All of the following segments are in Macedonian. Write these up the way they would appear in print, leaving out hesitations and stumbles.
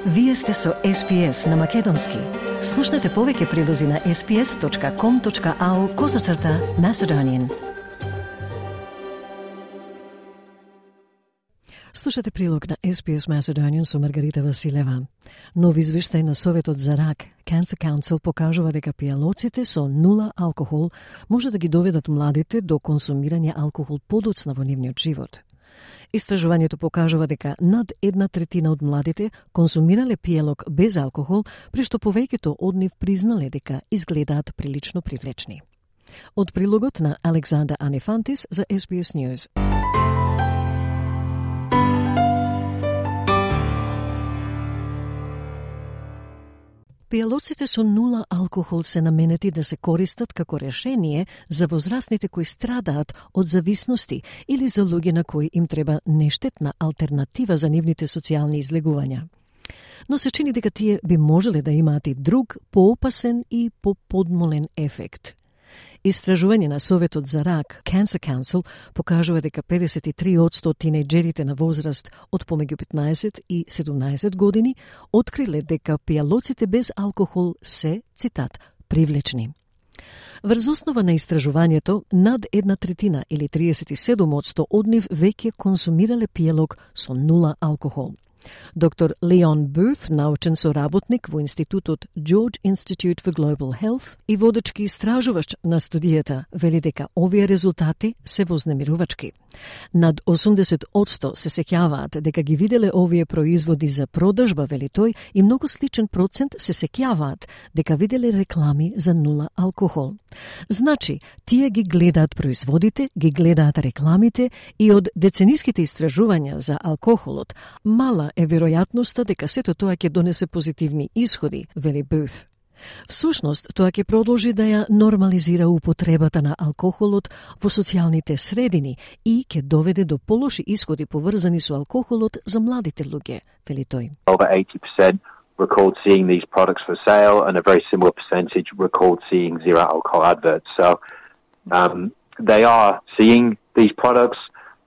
Вие сте со SPS на Македонски. Слушнете повеќе прилози на sps.com.au/Macedonian. Слушате прилог на SPS Macedonian со Маргарита Василева. Нов извештај на Советот за рак, Cancer Council, покажува дека пијалоците со нула алкохол може да ги доведат младите до консумирање алкохол подоцна во нивниот живот. Истражувањето покажува дека над 1/3 од младите консумирале пијалок без алкохол, при што повеќето од нив признале дека изгледаат прилично привлечни. Од прилогот на Александър Анефантис за SBS News. Пијалоците со нула алкохол се наменети да се користат како решение за возрастните кои страдаат од зависности или за луѓе на кои им треба нештетна алтернатива за нивните социјални излегувања. Но се чини дека тие би можеле да имаат и друг, поопасен и поподмолен ефект. Истражување на Советот за рак, Cancer Council, покажува дека 53% од тинејџерите на возраст од помеѓу 15 и 17 години откриле дека пијалоците без алкохол се, цитат, привлечни. Врз основа на истражувањето, над 1/3 или 37% од нив веќе консумирале пијалок со нула алкохол. Доктор Леон Бут, научен соработник во Институтот George Institute for Global Health и водечки истражувач на студијата, вели дека овие резултати се вознемирувачки. Над 80% се сеќаваат дека ги виделе овие производи за продажба, вели тој, и многу сличен процент се сеќаваат дека виделе реклами за нула алкохол. Значи, тие ги гледаат производите, ги гледаат рекламите и од децениските истражувања за алкохолот, мала е веројатноста дека сето тоа ќе донесе позитивни исходи, вели Бут. Всушност, тоа ќе продолжи да ја нормализира употребата на алкохолот во социјалните средини и ќе доведе до полоши исходи поврзани со алкохолот за младите луѓе, вели тој. Over 80% recalled seeing these products for sale, and a very similar percentage recalled seeing zero alcohol adverts. So they are seeing these products,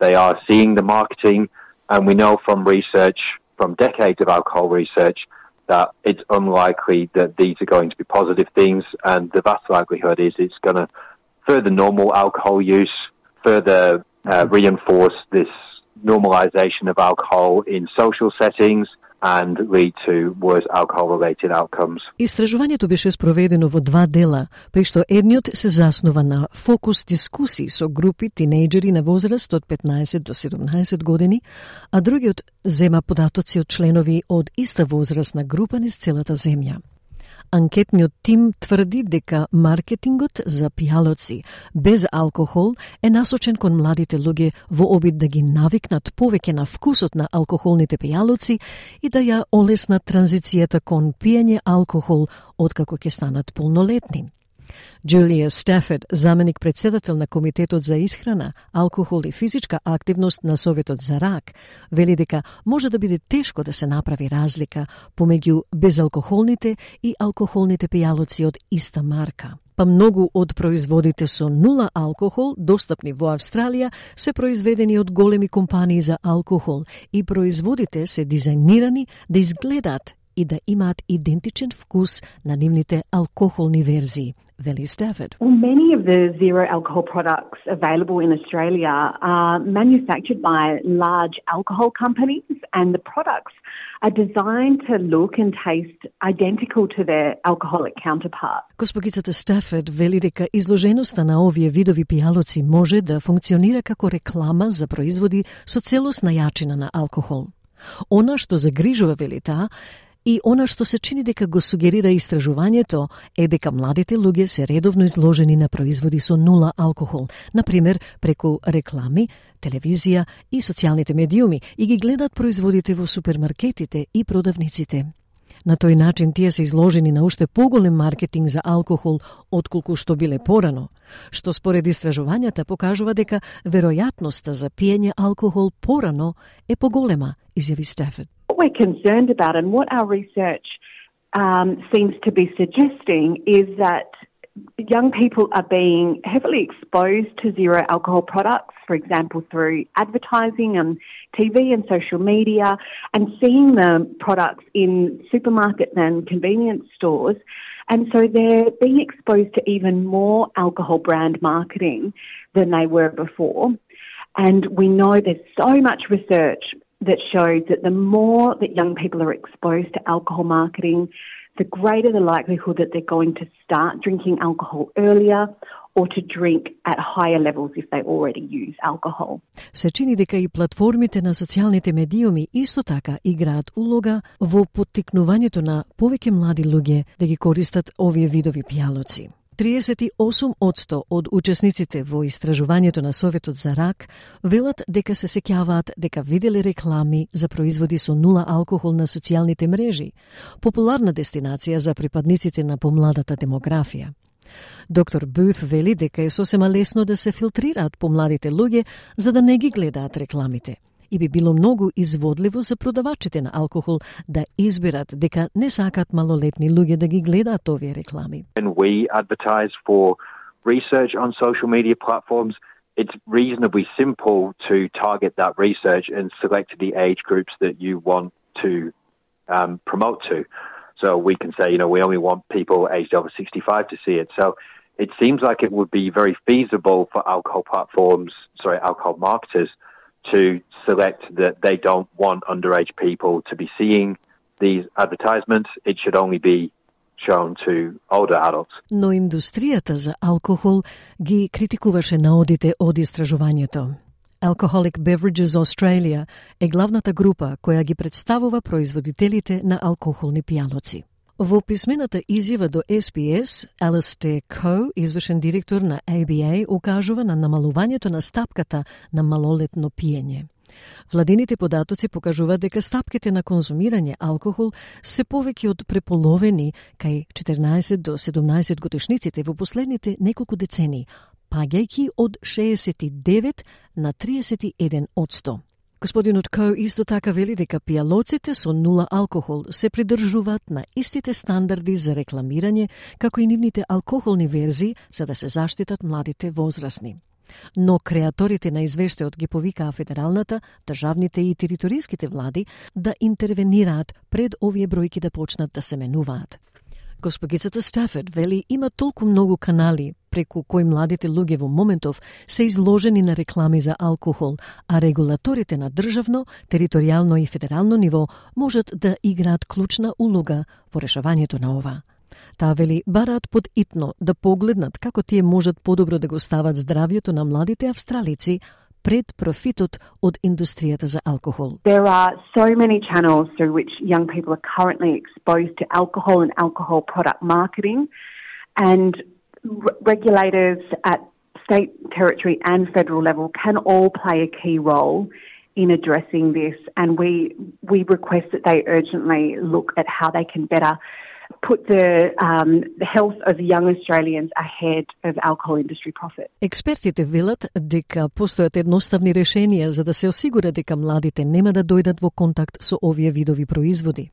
they are seeing the marketing, and we know from research, from decades of alcohol research, that it's unlikely that these are going to be positive things, and the vast likelihood is it's going to further normal alcohol use, further reinforce this normalization of alcohol in social settings, and lead to worse alcohol-related outcomes. Истражувањето беше спроведено во два дела, при што едниот се заснова на фокус дискусии со групи тинејџери на возраст од 15 до 17 години, а другиот зема податоци од членови од иста возрастна група низ целата земја. Анкетниот тим тврди дека маркетингот за пијалоци без алкохол е насочен кон младите луѓе во обид да ги навикнат повеќе на вкусот на алкохолните пијалоци и да ја олеснат транзицијата кон пиење алкохол откако ќе станат полнолетни. Джулија Стафорд, заменик председател на Комитетот за исхрана, алкохол и физичка активност на Советот за рак, вели дека може да биде тешко да се направи разлика помеѓу безалкохолните и алкохолните пијалоци од иста марка. Па многу од производите со нула алкохол, достапни во Австралија, се произведени од големи компании за алкохол и производите се дизајнирани да изгледаат и да имаат идентичен вкус на нивните алкохолни верзии, вели Стафорд. Well, many of the zero alcohol products available in Australia are manufactured by large alcohol companies, and the products are designed to look and taste identical to their alcoholic counterparts. Госпогицата Стафорд вели дека изложеноста на овие видови пијалоци може да функционира како реклама за производи со целосна јачина на алкохол. Она што загрижува, вели таа, и она што се чини дека го сугерира истражувањето е дека младите луѓе се редовно изложени на производи со нула алкохол, например преку реклами, телевизија и социјалните медиуми, и ги гледат производите во супермаркетите и продавниците. На тој начин тие се изложени на уште поголем маркетинг за алкохол отколку што биле порано, што според истражувањата покажува дека веројатноста за пиење алкохол порано е поголема, изјави Стафорд. What we're concerned about and what our research seems to be suggesting is that young people are being heavily exposed to zero alcohol products, for example, through advertising on TV and social media, and seeing the products in supermarkets and convenience stores. And so they're being exposed to even more alcohol brand marketing than they were before. And we know there's so much research that shows that the more that young people are exposed to alcohol marketing, the greater the likelihood that they're going to start drinking alcohol earlier or to drink at higher levels if they already use alcohol. Се чини дека и платформите на социјалните медиуми исто така играат улога во поттикнувањето на повеќе млади луѓе да ги користат овие видови пијалоци. 38% од учесниците во истражувањето на Советот за рак велат дека се сеќаваат дека виделе реклами за производи со нула алкохол на социјалните мрежи, популарна дестинација за припадниците на помладата демографија. Доктор Бут вели дека е сосема лесно да се филтрираат помладите луѓе за да не ги гледаат рекламите. И би било многу изводливо за продавачите на алкохол да изберат дека не сакаат малолетни луѓе да ги гледаат овие реклами. When we advertise for research on social media platforms, it's reasonably simple to target that research and select the age groups that you want to promote to. So we can say, we only want people aged over 65 to see it. So it seems like it would be very feasible for alcohol marketers to select that they don't want underage people to be seeing these advertisements. It should only be shown to older adults. Но индустријата за алкохол ги критикуваше наодите од истражувањето. Alcoholic Beverages Australia е главната група која ги представува производителите на алкохолни пијалоци. Во писмената изјава до SBS, Alastair Coe, извршен директор на ABA, укажува на намалувањето на стапката на малолетно пиење. Владините податоци покажуваат дека стапките на конзумирање алкохол се повеќе од преполовени кај 14 до 17 годишниците во последните неколку децении, паѓајќи од 69 на 31%. Господинот Коу исто така вели дека пијалоците со нула алкохол се придржуваат на истите стандарди за рекламирање како и нивните алкохолни верзии за да се заштитат младите возрастни. Но креаторите на извештајот ги повикаа федералната, државните и териториските влади да интервенираат пред овие бројки да почнат да се менуваат. Госпогицата Стафорд вели има толку многу канали преку кои младите луѓе во моментов се изложени на реклами за алкохол, а регулаторите на државно, територијално и федерално ниво можат да играат клучна улога во решавањето на ова. Таа вели бараат подитно да погледнат како тие можат подобро да го стават здравјето на младите австралици пред профитот од индустријата за алкохол. There are so many channels through which young people are currently exposed to alcohol and alcohol product marketing, and regulators at state, territory and federal level can all play a key role in addressing this, and we request that they urgently look at how they can better put the health of young Australians ahead of alcohol industry profit. Експертите велат дека постојат едноставни решенија за да се осигура дека младите нема да дојдат во контакт со овие видови производи.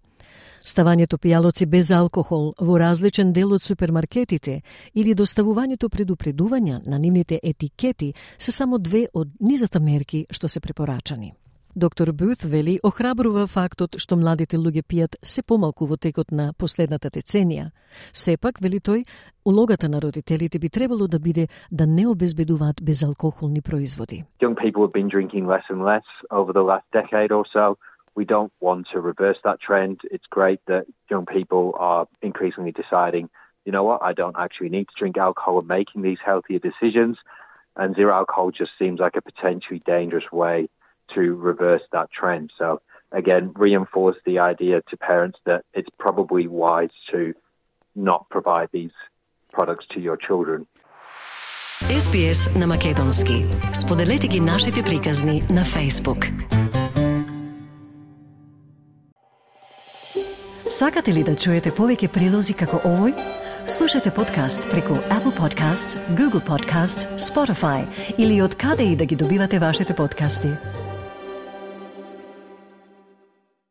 Ставањето пијалоци без алкохол во различен дел од супермаркетите или доставувањето предупредувања на нивните етикети се само две од низата мерки што се препорачани. Доктор Бут вели охрабрува фактот што младите луѓе пијат се помалку во текот на последната деценија. Сепак, вели тој, улогата на родителите би требало да биде да не обезбедуваат безалкохолни производи. Young people have been drinking less and less over the last decade or so. We don't want to reverse that trend. It's great that young people are increasingly deciding, you know what, I don't actually need to drink alcohol and making these healthier decisions. And zero alcohol just seems like a potentially dangerous way to reverse that trend. So again, reinforce the idea to parents that it's probably wise to not provide these products to your children. SBS на македонски. Споделете ги нашите приказни на Facebook. Сакате ли да чуете повеќе прилози како овој? Слушате подкаст преку Apple Podcasts, Google Podcasts, Spotify или од каде и да ги добивате вашите подкасти.